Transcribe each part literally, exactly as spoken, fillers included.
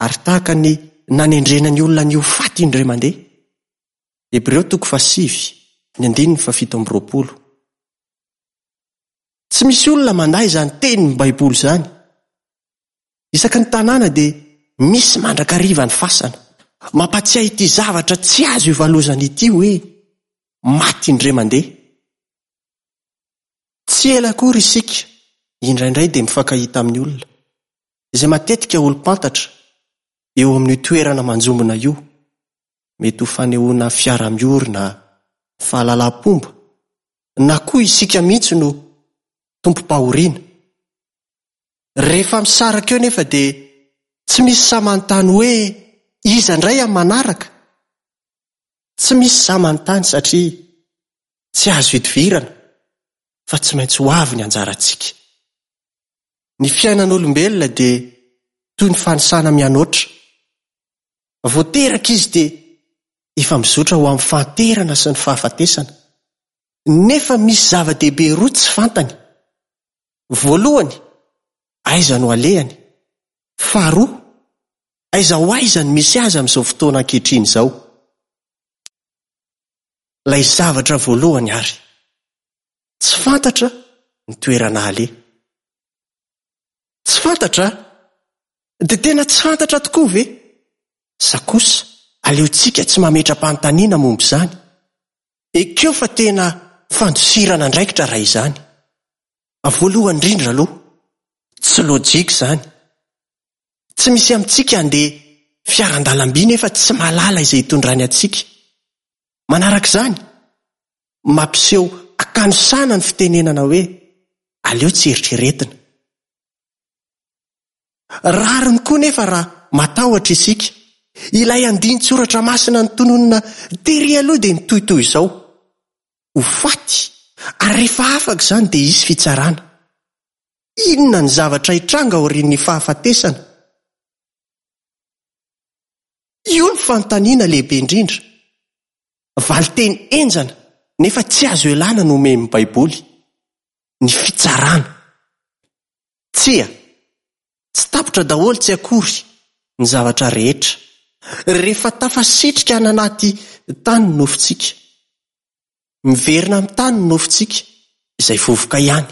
Ary tahaka ny nanendrena ny olona ny ho faty indray mandeha. Hebreo toko fahasivy, ny andininy fahafito amby roapolo. Tsy misy olona mandà izany tenin'ny Baiboly izany. Isaky ny tanàna dia misy mandrakariva ny fasana. Mampatsiahy ity zavatra tsy azo ivalozana ity hoe maty indray mandeha. Tsy ela akory isika indraindray dia mifankahita amin'ny olona, izay matetika olom-pantatra eo amin'io toerana manjombona io. Mety ho fanehoana fiara-miory na fahalalam-pomba, na koa isika mihitsy no tompom-pahoriana. Rehefa misaraka eo nefa dia tsy misy sahy manontany hoe iza indray amin'ny manaraka. Tsy misy sahy manontany satria tsy azo idivirana fa tsy maintsy ho avy ny anjarantsika. Ny fiainan'olombelona dia toy ny fanisana mianoatra. Vao teraka izy dia efa mizotra ho amin'ny fahanterana sy ny fahafatesana. Nefa misy zava-dehibe roa tsy fantany. Voalohany, aiza no alehany? Faharoa, aiza ho aiza no misy azy amin'izao fotoana ankehitriny izao? Ilay zavatra voalohany ary, tsy fantatra ny toerana aleha. Tsy fantatra? Dia tena tsy fantatra tokoa ve? Sa kosa aleontsika tsy mametra-panontaniana momba izany? Ekeo fa tena fandosirana andraikitra raha izany. Voalohany indrindra aloha, tsy lojika izany. Tsy misy amintsika handeha fiaran-dalamby nefa tsy mahalala izay hitondrany antsika. Manaraka izany, mampiseho hakanosana ny fitenenana hoe aleo tsy eritreretina. Rariny koa nefa raha matahotra isika. Ilay andinin-tsoratra masina notononina tery aloha dia mitohy toy izao: ho faty, ary rehefa afaka izany dia hisy fitsarana. Inona ny zavatra hitranga aorian'ny fahafatesana? Io ny fanontaniana lehibe indrindra. Valinteny henjana nefa tsy azo ialana no omen'ny Baiboly: ny fitsarana. Tsia, tsy tapitra daholo tsy akory ny zavatra rehetra. Rehefa tafasitrika any anaty tany ny nofontsika, miverina amin'ny tany ny nofontsika, izay vovoka ihany.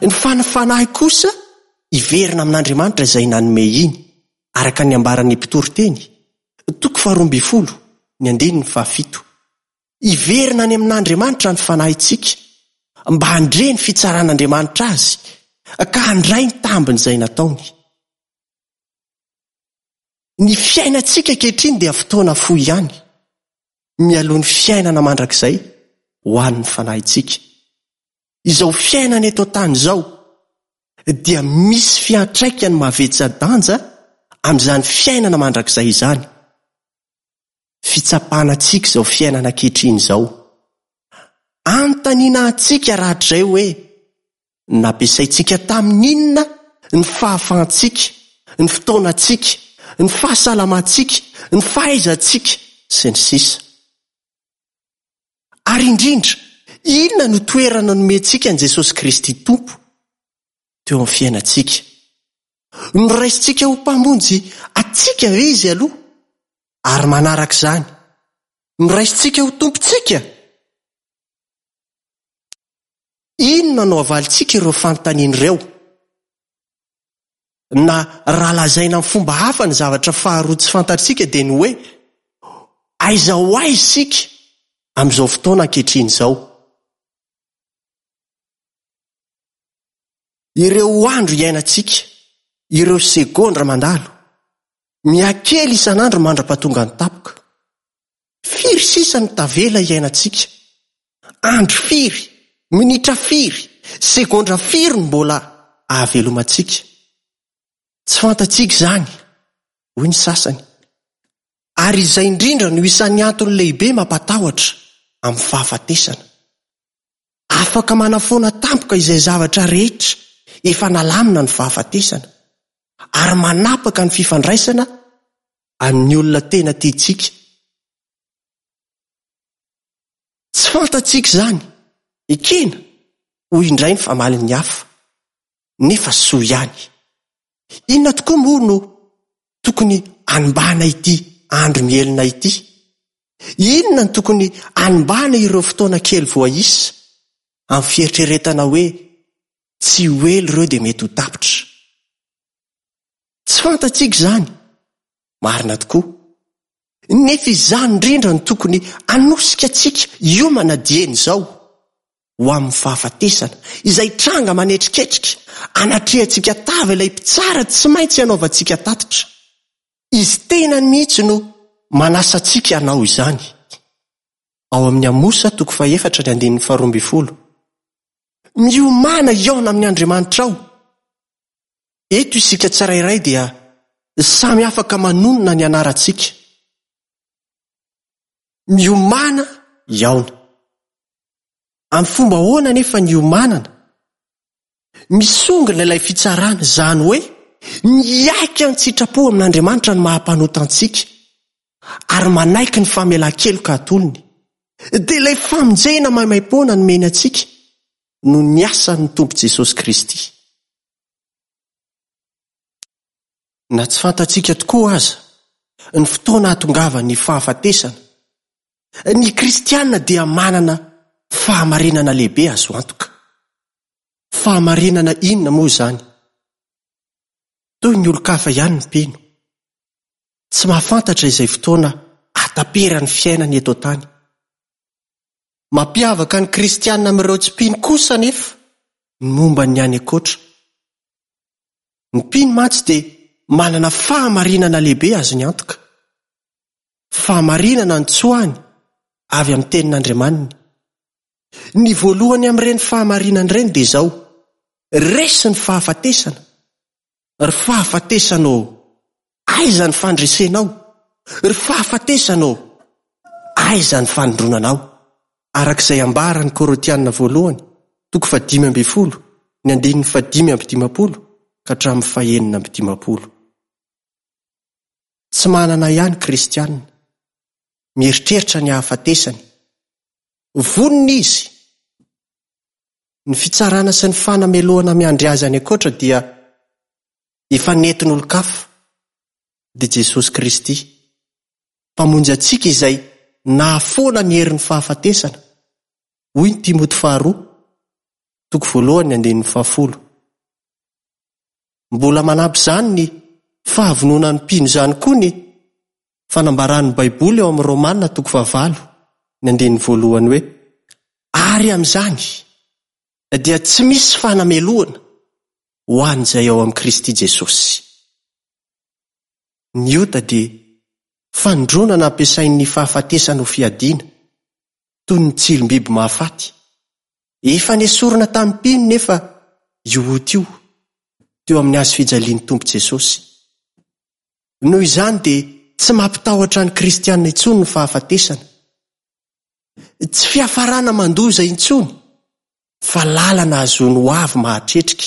Ny fanahy kosa hiverina amin'Andriamanitra izay nanome iny, araka ny ambaran'ny mpitoriteny, toko faharoa ambin'ny folo, ny andininy fahafito. Hiverina any amin'Andriamanitra ny fanahintsika mba handre ny fitsaran'Andriamanitra azy ka handray ny tambin'izay nataony. Ny fiainantsika ankehitriny dia fotoana fohy ihany, mialoha ny fiainana mandrakizay ho an'ny fanahintsika. Izao fiainana eto an-tany izao dia misy fiantraikany mavetsa-danja amin'izany fiainana mandrakizay izany. Fitsapana antsika izao fiainana ankehitriny izao. Anontaniana antsika rahatrizay hoe nampiasaintsika tamin'inona ny fahafahantsika, ny fotoanantsika, ny fahasalamantsika, ny fahaizantsika sy ny sisa. Ary indrindra, inona no toerana nomentsika an'i Jesosy Kristy Tompo teo amin'ny fiainantsika? Noraisintsika ho mpamonjy antsika ve izy aloha? Ary manaraka izany, noraisintsika ho tompontsika? Inona no havalintsika ireo fanontaniana ireo? Na raha lazaina amin'ny fomba hafa ny zavatra faharoa tsy fantatsika dia ny hoe aiza ho aiza isika amin'izao fotoana ankehitriny izao? Ireo andro iainantsika, ireo segondra mandalo, mihakely isan'andro mandra-pahatonga ny tampoka. Firy sisa no tavela iainantsika? Andro firy, minitra firy, segondra firy no mbola ahavelomantsika? Tsy fantatsika izany, hoy ny sasany. Ary izay indrindra no isan'ny antony lehibe mampatahotra amin'ny fahafatesana. Afaka manafoana tampoka izay zavatra rehetra efa nalamina ny fahafatesana, ary manapaka ny fifandraisana amin'ny olona tena tiantsika. Tsy fantatsika izany, ekena, hoy indray ny famalin'ny hafa, nefa soa ihany. Inona tokoa moa no tokony hanimbana ity andro mihelina ity? Inona no tokony hanimbana ireo fotoana kely voaisa amin'ny fieritreretana hoe tsy ho ela ireo dia mety ho tapitra? Tsy fantatsika izany, marina tokoa. Nefa izany indrindra no tokony hanosika antsika hiomana dieny izao ho amin'ny fahafatesana, izay tranga manetriketrika, anatrehantsika tava ilay mpitsara tsy maintsy hanaovantsika tatitra. Izy tenany mihitsy no manasa antsika hanao izany. Ao amin'ny Amosa toko fahefatra ny andininy faharoa ambin'ny folo. Miomàna hihaona amin'ny Andriamanitrao. Eto isika tsirairay dia samy afaka manonona ny anarantsika. Miomàna hihaona. Amin'ny fomba ahoana anefa ny hiomanana? Misongona ilay fitsarana, izany hoe miaiky an-tsitrapo amin'Andriamanitra ny maha-mpanota antsika ary manaiky ny famelan-keloka atolony. Dia ilay famonjena maimaimpoana nomeny antsika noho ny asan'ny Tompo Jesosy Kristy. Na tsy fantatsika tokoa aza ny fotoana hahatongavan'ny fahafatesana, ny kristiana dia manana fahamarinana lehibe azo antoka. Fahamarinana inona moa izany? Toy ny olon-kafa ihany ny mpino. Tsy mahafantatra izay fotoana hahataperan'ny fiainany eto an-tany. Mampiavaka ny kristiana amin'ireo tsy mpino kosa anefa ny momba ny any ankoatra. Ny mpino mantsy dia manana fahamarinana lehibe azony antoka. Fahamarinana notsoahiny avy amin'ny tenin'Andriamaniny. Ny voalohany amin'ireny fahamarinana ireny dia izao: resy ny fahafatesana. Ry fahafatesana ô, aiza ny fandresenao? Ry fahafatesana ô, aiza ny fanindronanao? Araka izay ambaran'ny Korintiana voalohany, toko fahadimy ambin'ny folo, ny andininy fahadimy amby dimampolo ka hatramin'ny fahenina amby dimampolo. Tsy manana ihany kristiana, mieritreritra ny hahafatesany. Vonona izy. Ny fitsarana sy ny fanamelohana miandry azy any ankoatra dia efa nentin'olon-kafa, dia Jesosy Kristy, Mpamonjy antsika izay nahafoana ny herin'ny fahafatesana, hoy ny Timoty faharoa, toko voalohany ny andininy fahafolo. Mbola manampy izany ny fahavononan'ny mpino izany koa ny fanambaran'ny Baiboly ao amin'ny Romana toko fahavalo ny andininy voalohany hoe: ary amin'izany dia tsy misy fanamelohana ho an'izay ao amin'i Kristy Jesosy. Ny ota dia fanindronana ampiasain'ny fahafatesana ho fiadiana, toy ny tsilom-biby mahafaty. Efa nesorina tamin'ny mpino nefa io ota io teo amin'ny hazo fijalian'ny Tompo Jesosy. Noho izany dia tsy mampitahotra ny kristiana intsony ny fahafatesana. Tsy fiafarana mandoza intsony, fa lalana ahazoany ho avy mahatretrika.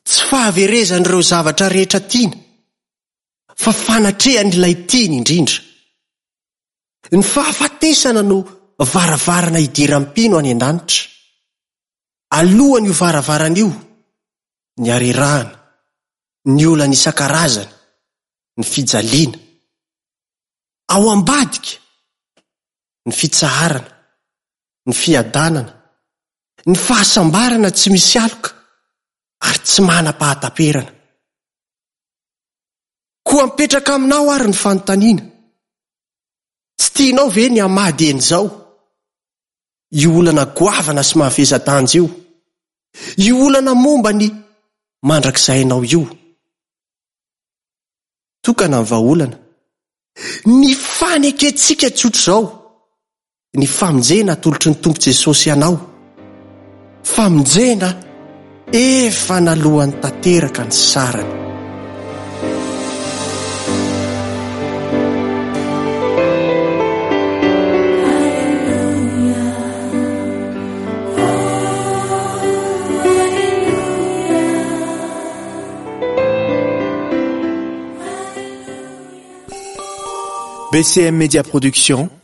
Tsy fahaverezan'ireo zavatra rehetra tiana, fa fanatrehan'ilay tiany indrindra. Ny fahafatesana no varavarana hidiran'ny mpino any an-danitra. Alohan'io varavarana io, ny harerahana, ny olana isan-karazany, ny fijaliana. Ao ambadika, ny fitsaharana, ny fiadanana, ny fahasambarana tsy misy aloka ary tsy manam-pahataperana. Koa mipetraka aminao ary ny fanontaniana: tsy tianao ve ny hamady eny izao io olana goavana sy mahavesa-danja io, io olana momba ny mandrakizay-nao io? Tokana ny vahaolana, ny fanekentsika tsotra izao, ny famonjena atolotry ny Tompo Jesosy anao, famonjena efa naloany tanteraka ny sarany. B C M Media Production.